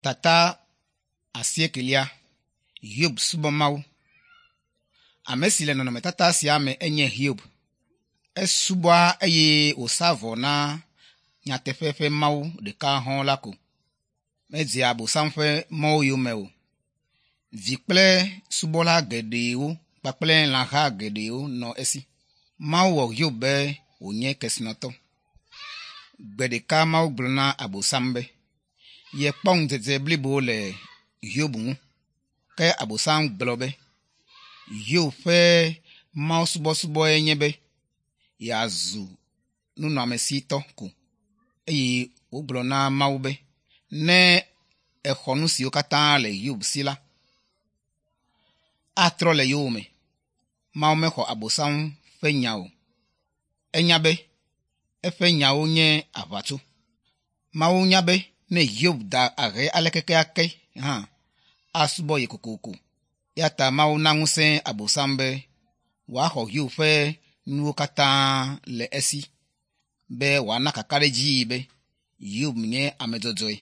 Tata asiekelia Hiob subɔ Mawu. Ame si le nɔnɔmetata sia me enye Hiob. Esubɔa eye wòsa vɔ na nyateƒe ƒe Mawu ɖeka hɔ̃ la ko. Medzea Abosam ƒe mɔwo yome o. Vi kple subɔla geɖewo kpakple lãha geɖewo nɔ esi. Mawu wɔ Hiob be wònye kesinɔtɔ. Gbe ɖeka Mawu gblɔ na Abosam be yekpɔ ŋudzedze blibo le Hiob ŋu. Ke Abosam gblɔ be Hiob ƒe mawusubɔsubɔe nye be yeazu nunɔamesitɔ ko eye wògblɔ na Mawu be ne exɔ nu siwo katã le Hiob si la, atrɔ le yowòme. Mawu mexɔ Abosam ƒe nya o. Enya be eƒe nyawo nye aʋatso. Mawu nya be ne Hiob da ahe aleke keake hã, asubɔ ye kokoko. Eya ta Mawu na ŋusẽ Abosam be wòaxɔ Hiob ƒe nuwo katã le esi be wòana kakaɖedzii be Hiob nye ame dzɔdzɔe.